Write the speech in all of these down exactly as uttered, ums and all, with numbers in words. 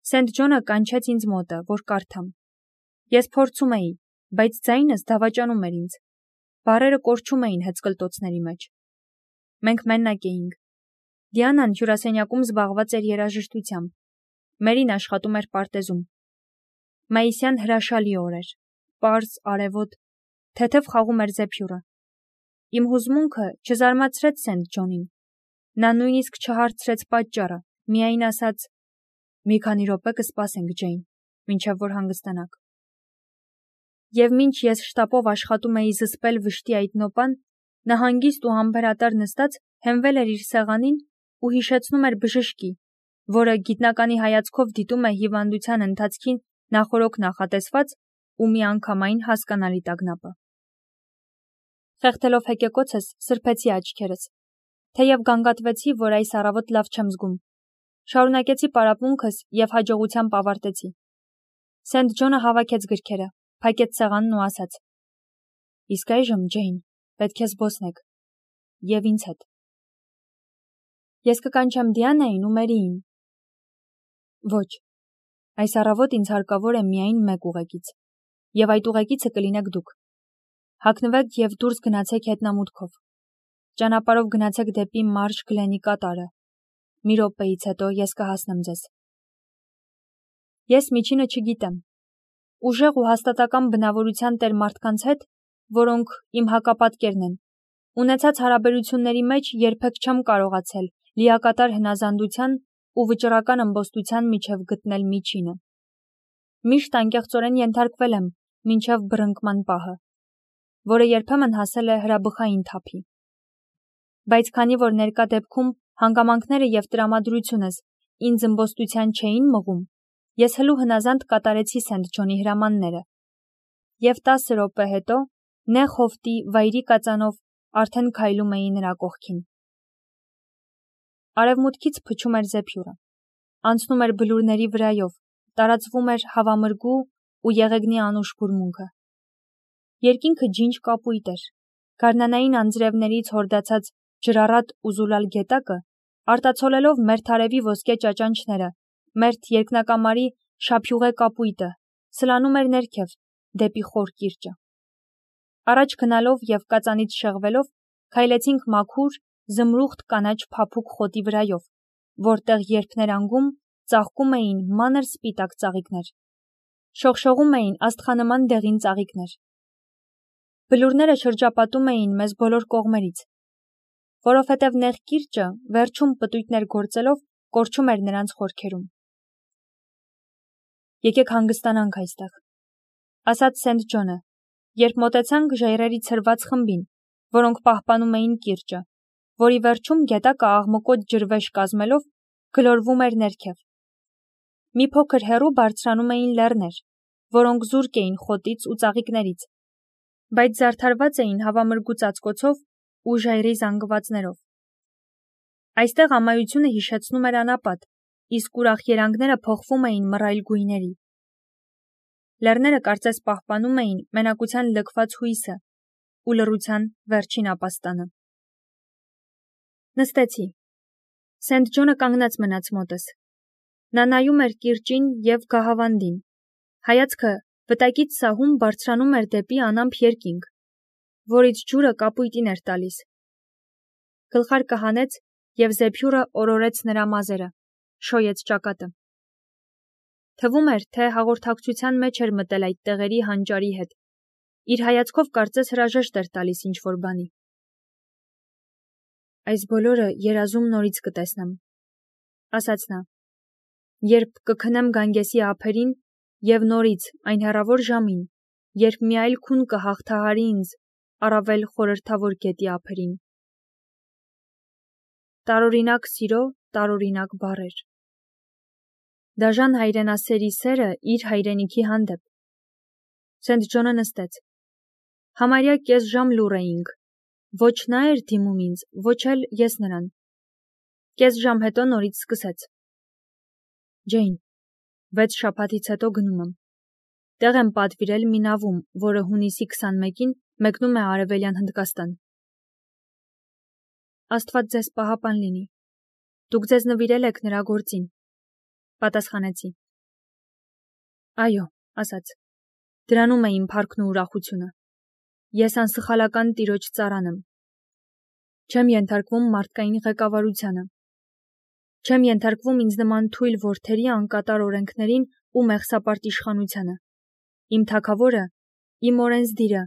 Սենթ Ջոնը կանչեց ինձ մոտը, որ կարդամ։ Ես փորձում էի, բայց ձայնս դավաճանում էր ինձ։ Բառերը կորչում էին հեծկլտոցների մեջ։ Մենք մենակ էինք։ Դիանան հյուրասենյակում զբաղված էր երաժշտությամբ։ Մերին աշխատում էր պարտեզում։ Մայիսյան հրաշալի օր էր, պարզ, արևոտ, թեթև խաղում էր զեփյուռը։ Իմ հուզմունքը չզարմացրեց Սենթ Ջոնին։ Նա նույնիսկ չհարցրեց պատճառը, միայն ասաց. «Մի քանի րոպե կսպասենք, Ջեյն, մինչև որ հանգստանաք»։ Եվ մինչ ես շտապով աշխատում էի զսպել վշտի այդ նոպան, նա հանգիստ ու համբերատար նստած հենվել էր իր սեղանին ու հիշեցնում էր բժշկի, որը գիտնականի հայացքով դիտում է հիվանդության ընթացքին նախօրոք նախատեսված ու միանգամայն հասկանալի տագնապը։ Խեղդելով հեկեկոցս սրբեցի աչքերս, թեև գանգատվեցի, որ այս առավոտ լավ չեմ զգում։ Շարունակեցի պարապմունքս և հաջողությամբ ավարտեցի։ Սենթ Ջոնը հավաքեց գրքերը, փակեց սեղանն ու ասաց. «Իսկ այժմ, Ջեյն, պետք է զբոսնեք, և ինձ հետ»։ Ես կկանչեմ Դիանային ու Մերիին։ Ոչ, այս առավոտ ինձ հարկավոր է միայն մեկ ուղեկից, և այդ ուղեկիցը կլինեք դուք։ Հագնվեք և դուրս գնացեք հետնամուտքով։ Ճանապարհով գնացեք դեպի Մարշ Գլենի կատարը։ Մի րոպեից հետո ես կհասնեմ ձեզ։ Ես միջինը չգիտեմ։ Ուժեղ ու հաստատակամ բնավորության տեր մարդկանց հետ, որոնք իմ հակապատկերն են, ունեցած հարաբերությունների մեջ երբեք չեմ կարողացել լիակատար հնազանդության ու վճռական ըմբոստության միջև գտնել միջինը։ Միշտ անկեղծորեն ենթարկվել եմ մինչև բռնկման պահը, որը երբեմն հասել է հրաբխային թափի։ Բայց քանի որ ներկա դեպքում հանգամանքները և տրամադրությունս ինձ ըմբոստության չէին մղում, ես հլու հնազանդ կատարեցի Սենթ Ջոնի հրամանները, և տասը րոպե հետո նեղ հովտի վայրի կածանով արդեն քայլում էի նրա կողքին։ Արևմուտքից փչում էր զեփյուռը, անցնում էր բլուրների վրայով, տարածվում էր հավամրգու ու եղեգնի անուշ բուրմունքը։ Երկինքը ջինջ կապույտ էր, գարնանային անձրևներից հորդացած ջրառատ ու զուլալ գետակը, արտացոլելով մերթ արևի ոսկե ճաճանչները, մերթ երկնակամարի շափյուղե կապույտը, սլանում էր ներքև, դեպի խոր կիրճը։ Առաջ գնալով և կածանից շեղվելով, քայլեցինք մաքուր, զմրուխտ կանաչ փափուկ խոտի վրայով, որտեղ երբ ներանգում ծաղկում էին մանր սպիտակ ծաղիկներ։ Շողշողում էին աստղանման դեղին ծաղիկներ։ Բլուրները շրջապատում էին մեզ բոլոր կողմերից, որովհետև նեղ կիրճը վերջում պտույտներ գործելով կորչում էր նրանց խորքերում։ Եկեք հանգստանանք այստեղ, ասաց Սենթ Ջոնը, երբ մոտեցանք ժայռերի ցրված խմբին, որոնք պահպանում էին կիրճը, որի վերջում գետակը աղմկոտ ջրվեժ կազմելով գլորվում էր ներքև։ Մի փոքր հեռու բարձրանում էին լեռներ, որոնք զուրկ էին խոտից ու ծաղիկներից, բայց զարդարված էին հավամրգու ծածկոցով ու ժայռի զանգվածներով։ Այստեղ ամայությունը հիշեցնում էր անապատ, իսկ ուրախ երանգները փոխվում էին մռայլ գույների։ Լեռները կարծես պահպանում էին մենակության լքված հույսը ու լռության վերջին ապաստանը։ Նստեցի։ Սենթ Ջոնը կանգնած մնաց մոտս։ Նա նայում էր կիրճին և գահավանդին։ Հայացքը վտակից սահում բարձրանում էր դեպի անամպ երկինք, որից ջուրը կապույտին էր տալիս։ Գլխարկը հանեց և զեփյուռը օրորեց նրա մազերը, շոյեց ճակատը։ Թվում էր, թե հաղորդակցության մեջ էր մտել այդ տեղերի հանճարի հետ։ Իր հայացքով կարծես հրաժեշտ էր տալիս ինչ-որ բանի։ Այս բոլորը երազում նորից կտեսնեմ, ասաց նա, երբ կքնեմ Գանգեսի ափերին և նորից այն հեռավոր ժամին, երբ մի այլ քուն կհաղթահարի ինձ առավել խորհրդավոր գետի ափերին։ Տարօրինակ սիրո, տարօրինակ բառեր։ Դաժան հայրենասերի սերը իր հայրենիքի հանդեպ։ Սենթ Ջոնը նստեց։ Համարյա կես ժամ լուռ էինք։ Ոչ նա էր դիմում ինձ, ոչ էլ ես նրան։ Կես ժամ հետո նորից սկսեց. Ջեյն, վեց շաբաթից հետո գնում եմ։ Տեղ եմ պատվիրել մի նավում, որը հունիսի քսանմեկին մեկնում է Արևելյան Հնդկաստան։ Աստված ձեզ պահապան լինի։ Դուք ձեզ նվիրել եք նրա գործին, պատասխանեցի։ Այո, ասաց, դրանում է իմ փառքն ու ուրախությունը։ Ես անսխալական տիրոջ ծառան եմ։ Չեմ ենթարկվում մարդկային ղեկավարությանը։ Չեմ ենթարկվում ինձ նման թույլ որդերի անկատար օրենքներին ու մեղսապարտ իշխանությանը։ Իմ թագավորը, իմ օրենսդիրը,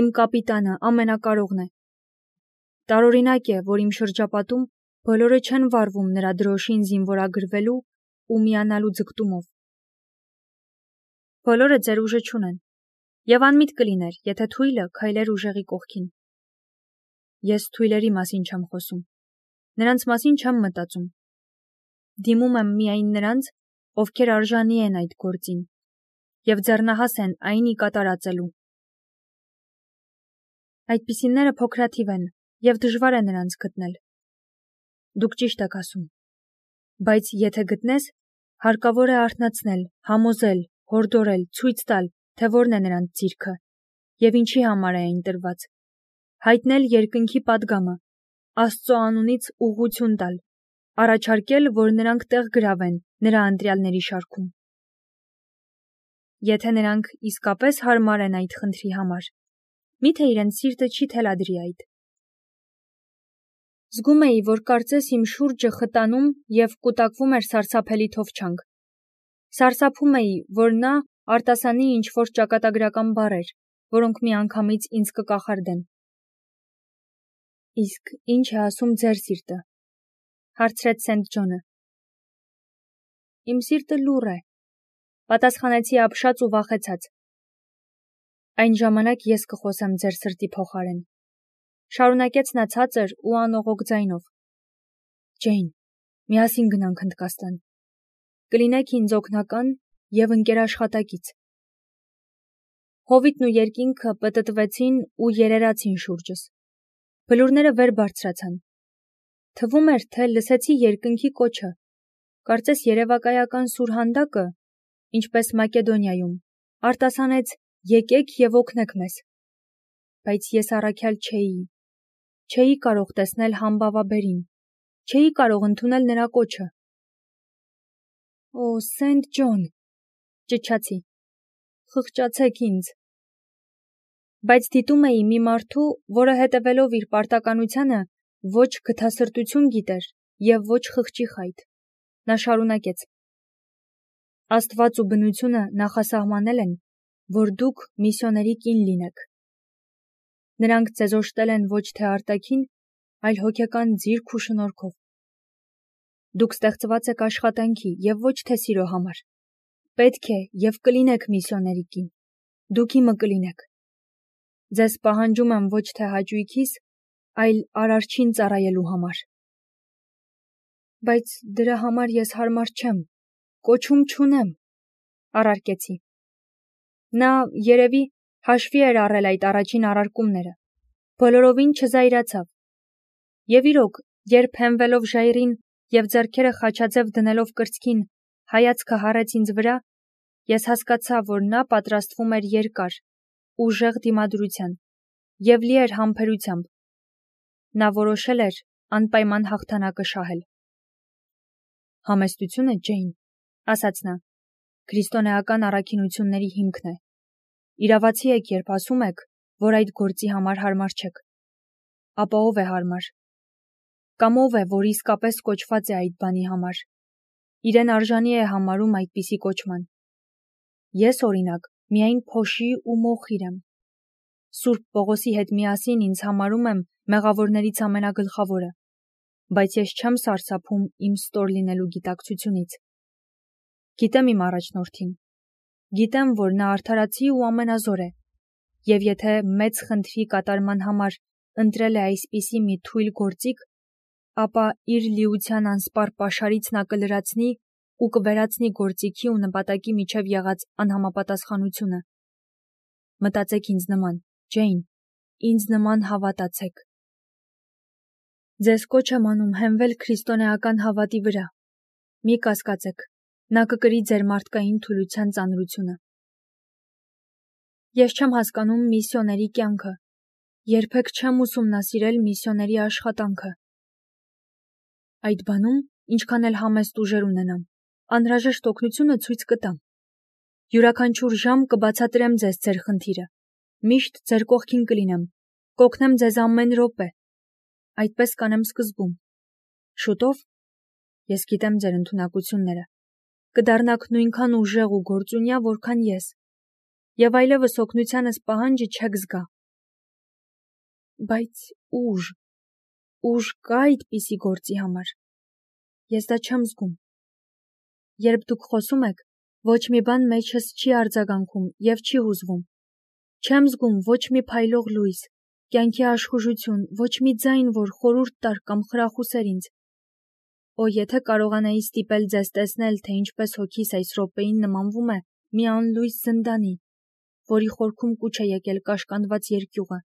իմ կապիտանը ամենակարողն է։ Տարօրինակ է, որ իմ շրջապատում բոլորը չեն վարվում նրա դրոշին զինվորագրվելու ու միանալու ձգտումով։ Բոլորը ձեր ուժը չունեն, եւ անմիտ կլիներ, եթե թույլը քայլեր ուժեղի կողքին։ Ես թույլերի մասին չեմ խոսում, նրանց մասին չեմ մտածում։ Դիմում եմ միայն նրանց, ովքեր արժանի են այդ գործին, եւ ձեռնահաս են այն ի կատարածելու։ Այդպիսինները փոքրաթիվ են, եւ դժվար է նրանց գտնել։ Դուք ճիշտ եք ասում, բայց եթե գտնես, հարկավոր է արթնացնել, համոզել, հորդորել, ցույց տալ, թե որն է նրանց ձիրքը, եւ ինչի համար է այն տրված, հայտնել երկնքի պատգամը, Աստծո անունից ուղղություն տալ, առաջարկել, որ նրանք տեղ գրավեն նրա ընտրյալների շարքում։ Եթե նրանք իսկապես հարմար են այդ խնդրի համար, միթե իրենց սիրտը չի թելադրի այդ։ Զգում էի, որ կարծես իմ շուրջը խտանում եւ կուտակվում էր սարսափելի թովչանք։ Սարսափում էի, որ նա արտասանի ինչ-որ ճակատագրական բառեր, որոնք միանգամից ինձ կկախարդեն։ Իսկ ինչ է ասում ձեր սիրտը, հարցրեց Սենթ Ջոնը։ Իմ սիրտը լուռ է, պատասխանեցի ապշած ու վախեցած։ Այն ժամանակ ես կխոսեմ ձեր սրտի փոխարեն, շարունակեց նա ցածր ու անողոք ձայնով։ Ջեյն, միասին գնանք Հնդկաստան։ Կլինեք ինձ օգնական եւ ընկերաշխատակից։ Հովիտն ու երկինքը պտտվեցին ու երերացին շուրջս։ Բլուրները վեր բարձրացան։ Թվում էր, թե լսեցի երկնքի կոչը, կարծես երևակայական սուրհանդակը, ինչպես Մակեդոնիայում, արտասանեց եկեք եւ օգնեք մեզ։ Բայց ես առաքյալ չէի, չէի կարող տեսնել համբավաբերին, չէի կարող ընդունել նրա կոչը։ Օ, Սենթ Ջոն, ճչացի, խղճացեք ինձ։ Բայց դիտում էի մի մարդու, որը հետևելով իր պարտականությանը ոչ գթասրտություն գիտեր եւ ոչ խղճի խայտ։ Նա շարունակեց. Աստված ու բնությունը նախասահմանել են, որ դուք միսիոների կին լինեք։ Նրանք ձեզ օժտել են ոչ թե արտաքին, այլ հոգեկան ձիրք ու շնորհքով։ Դուք ստեղծված եք աշխատանքի եւ ոչ թե սիրո համար։ Պետք է եւ կլինեք միսիոների կին։ Դուք իմը կլինեք։ Ձեզ պահանջում եմ ոչ թե հաճույքիս, այլ արարչին ծառայելու համար։ Բայց դրա համար ես հարմար չեմ, կոչում չունեմ, առարկեցի։ Նա երևի հաշվի էր առել այդ առաջին առարկումները, բոլորովին չզայրացավ։ Եվ իրոք, երբ հենվելով ժայռին եւ ձեռքերը խաչաձև դնելով կրծքին, հայացքը հառեց ինձ վրա, ես հասկացա, որ նա պատրաստվում էր երկար, ուժեղ դիմադրության եւ լի էր համբերությամբ։ Նա որոշել էր անպայման հաղթանակը շահել։ Համեստությունը, Ջեյն, ասաց նա, քրիստոնեական առաքինությունների հիմքն է։ Իրավացի եք, երբ ասում եք, որ այդ գործի համար հարմար չեք։ Ապա ով է հարմար։ Կամ ով է, որ իսկապես կոչված է այդ բանի համար։ Իրեն արժանի է համարում այդպիսի կոչման։ Ես, օրինակ, միայն փոշի ու մոխիր եմ։ Սուրբ Պողոսի հետ միասին ինձ համարում եմ մեղավորներից ամենագլխավորը, բայց ես չեմ սարսափում իմ ստոր լինելու գիտակցությունից։ Գիտեմ իմ առաջնորդին։ Գիտեմ, որ նա արդարացի ու ամենազոր է, եւ եթե մեծ խնդրի կատարման համար ընտրել է այսպիսի մի թույլ գործիք, ապա իր լիության անսպառ պաշարից նա կլրացնի ու կվերացնի գործիքի ու նպատակի միջև եղած անհամապատասխանությունը։ Մտածեք ինձ նման, Ջեյն, ինձ նման հավատացեք։ Ձեզ կոչ եմ անում հենվել քրիստոնեական հավատի վրա։ Մի կասկածեք, նա կկրի ձեր մարդկային թուլության ծանրությունը։ Ես չեմ հասկանում միսիոների կյանքը, երբեք չեմ ուսումնասիրել միսիոների աշխատանքը։ Այդ բանում, ինչքան էլ համեստ ուժեր ունենամ, անհրաժեշտ օգնությունը ցույց կտամ։ Յուրաքանչյուր ժամ կբացատրեմ ձեզ ձեր խնդիրը։ Միշտ ձեր կողքին կլինեմ, կօգնեմ ձեզ ամեն րոպե։ Այդպես կանեմ սկզբում։ Շուտով, ես գիտեմ ձեր ընդունակությունները, կդառնաք նույնքան ուժեղ ու գործունյա, որքան ես, եւ այլևս օգնությանս պահանջը չեք զգա։ Բայց ուժ, ուժ կա այդպիսի գործի համար։ Ես դա չեմ զգում։ Երբ դուք խոսում եք, ոչ մի բան մեջս չի արձագանքում եւ չի հուզվում։ Չեմ զգում ոչ մի փայլող լույս, կյանքի աշխուժություն, ոչ մի ձայն, որ խորհուրդ տար կամ խրախուսեր ինձ։ Օ, եթե կարողանայի ստիպել ձեզ տեսնել, թե ինչպես հոգիս այս րոպեին նմանվում է մի անլույս զնդանի, որի խորքում կուչ է եկել կաշկանդված երկյուղը,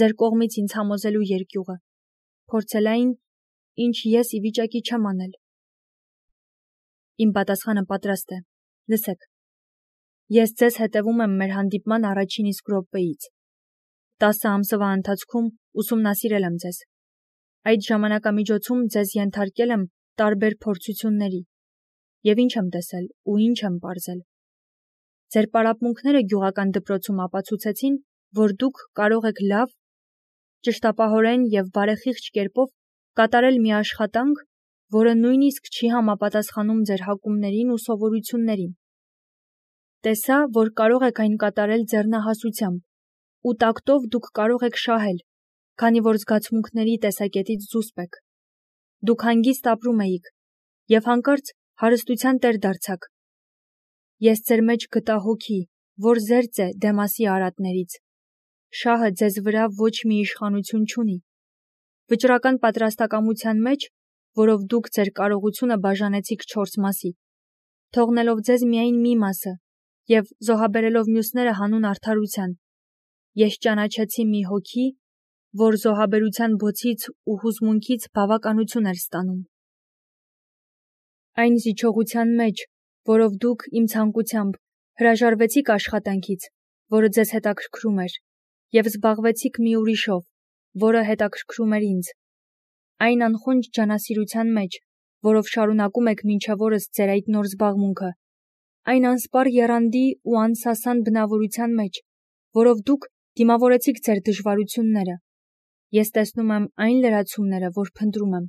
ձեր կողմից ինձ համոզելու երկյուղը, փորձել այն, ինչ ես ի վիճակի չեմ անել։ Իմ պատասխանը պատրաստ է։ Լսեք։ Ես ձեզ հետևում եմ մեր հանդիպման առաջին իսկ րոպեից։ Տասը ամսվա ընթացքում ուսումնասիրել եմ ձեզ։ Այդ ժամանակամիջոցում ձեզ ենթարկել եմ տարբեր փորձությունների։ Եվ ինչ եմ տեսել ու ինչ եմ պարզել։ Ձեր պարապմունքները գյուղական դպրոցում ապացուցեցին, որ դուք կարող եք լավ, ճշտապահորեն եւ բարեխիղճ կերպով կատարել մի աշխատանք, որը նույնիսկ չի համապատասխանում ձեր հակումներին ու սովորություններին։ Տեսա, որ կարող եք այն կատարել ձեռնահասությամբ, ու տակտով դուք կարող եք շահել, քանի որ զգացմունքների տեսակետից զուսպ եք։ Դուք հանգիստ ապրում էիք եւ հանկարծ հարստության տեր դարձաք։ Ես ձեր մեջ գտա հոգի, որ զերծ է Դեմասի արատներից։ Շահը ձեզ վրա ոչ մի իշխանություն չունի։ Վճռական պատրաստակամության մեջ, որով դուք ձեր կարողությունը բաժանեցիք չորս մասի, թողնելով ձեզ միայն մի մասը եւ զոհաբերելով մյուսները հանուն արդարության, ես ճանաչեցի մի հոգի, որ զոհաբերության բոցից ու հուզմունքից բավականություն էր ստանում։ Այն զիջողության մեջ, որով դուք իմ ցանկությամբ հրաժարվեցիք աշխատանքից, որը ձեզ հետաքրքրում էր, եւ զբաղվեցիք մի ուրիշով, որը հետաքրքրում էր ինձ։ Այն անխոնջ ջանասիրության մեջ, որով շարունակում եք մինչև օրս ձեր այդ նոր զբաղմունքը, այն անսպառ եռանդի ու անսասան բնավորության մեջ, որով դուք դիմավորեցիք ձեր դժվարությունները, ես տեսնում եմ այն լրացումները, որ փնտրում եմ։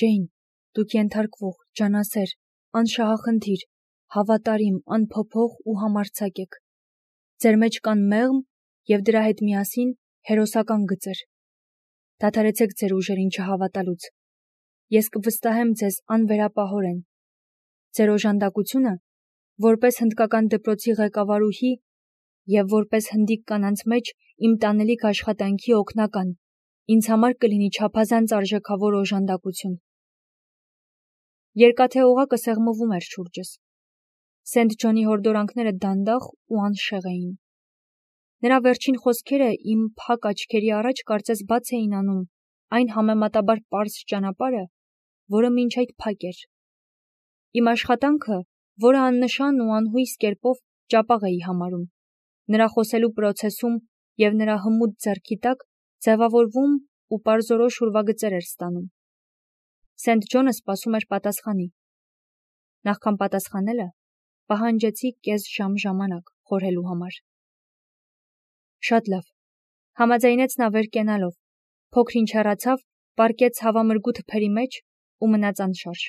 Ջեյն, դուք ենթարկվող, ջանասեր, անշահախնդիր, հավատարիմ, անփոփոխ ու համարձակ եք։ Ձեր մեջ կան մեղմ եւ դրա հետ միասին հերոսական գծեր։ Դադարեցեք ձեր ուժերին չհավատալուց։ Ես կվստահեմ ձեզ անվերապահորեն։ Ձեր օժանդակությունը, որպես հնդկական դպրոցի ղեկավարուհի եւ որպես հնդիկ կանանց մեջ իմ տանելիք աշխատանքի օգնական, ինձ համար կլինի չափազանց արժեքավոր օժանդակություն։ Երկաթե օղակը սեղմվում էր շուրջս։ Սենթ Ջոնի հորդորանքները դանդաղ ու անշեղ էին։ Նրա վերջին խոսքերը իմ փակ աչքերի առաջ կարծես բաց էին անում այն համեմատաբար պարզ ճանապարհը, որը մինչ այդ փակ էր։ Իմ աշխատանքը, որը աննշան ու անհույս կերպով ճապաղ էի համարում, նրա խոսելու պրոցեսում եւ նրա հմուտ ձեռքի տակ ձևավորվում ու պարզորոշ ուրվագծեր էր ստանում։ Սենթ Ջոնը սպասում էր պատասխանի։ Նախքան պատասխանելը, պահանջեցի կես ժամ ժամանակ խորհելու համար։ Շատ լավ, համաձայնեց նա վեր կենալով, փոքր ինչ հեռացավ, պառկեց հավամրգու թփերի մեջ ու մնաց անշարժ։